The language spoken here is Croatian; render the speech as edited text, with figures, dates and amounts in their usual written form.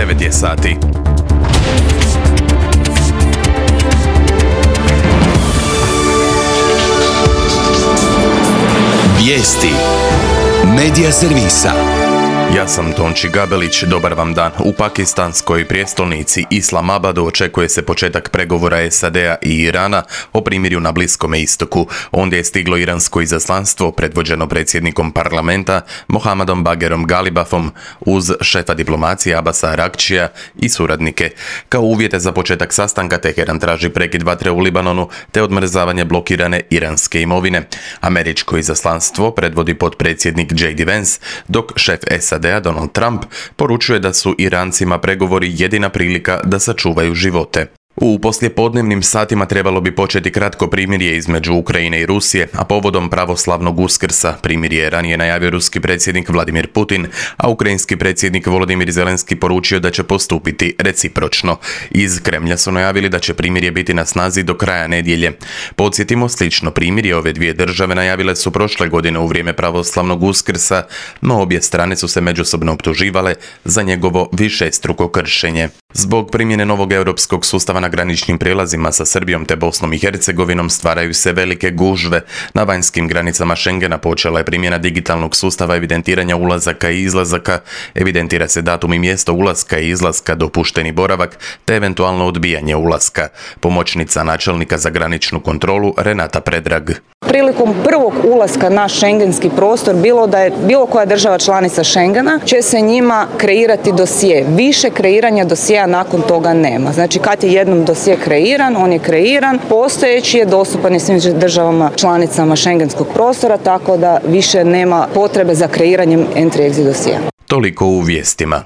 9 je sati. Vijesti Medija servisa. Ja sam Tonči Gabelić, dobar vam dan. U pakistanskoj prijestolnici Islamabadu očekuje se početak pregovora SAD-a i Irana o primirju na Bliskome istoku. Ondje je stiglo iransko izaslanstvo predvođeno predsjednikom parlamenta Mohammadom Bagherom Galibafom uz šefa diplomacije Abasa Aragčija i suradnike. Kao uvjete za početak sastanka Teheran traži prekid vatre u Libanonu te odmrzavanje blokirane iranske imovine. Američko izaslanstvo predvodi potpredsjednik J.D. Vance, dok šef SAD-a Donald Trump poručuje da su Irancima pregovori jedina prilika da sačuvaju živote. U poslijepodnevnim satima trebalo bi početi kratko primirje između Ukrajine i Rusije, a povodom pravoslavnog Uskrsa primirje je ranije najavio ruski predsjednik Vladimir Putin, a ukrajinski predsjednik Volodymyr Zelenski poručio da će postupiti recipročno. Iz Kremlja su najavili da će primirje biti na snazi do kraja nedjelje. Podsjetimo, slično primirje ove dvije države najavile su prošle godine u vrijeme pravoslavnog Uskrsa, no obje strane su se međusobno optuživale za njegovo višestruko kršenje. Zbog primjene novog europskog sustava na graničnim prijelazima sa Srbijom te Bosnom i Hercegovinom stvaraju se velike gužve. Na vanjskim granicama Schengena počela je primjena digitalnog sustava evidentiranja ulazaka i izlazaka, evidentira se datum i mjesto ulaska i izlaska, dopušteni boravak te eventualno odbijanje ulaska. Pomoćnica načelnika za graničnu kontrolu Renata Predrag. Prilikom prvog ulaska na šengenski prostor, bilo da je bilo koja država članica Schengena, će se njima kreirati dosje. Više kreiranja dosjea nakon toga nema. Znači kad je jednom dosje kreiran, on je kreiran, postojeći je dostupan svim državama članicama šengenskog prostora, tako da više nema potrebe za kreiranjem entry-exit dosjea. Toliko u vijestima.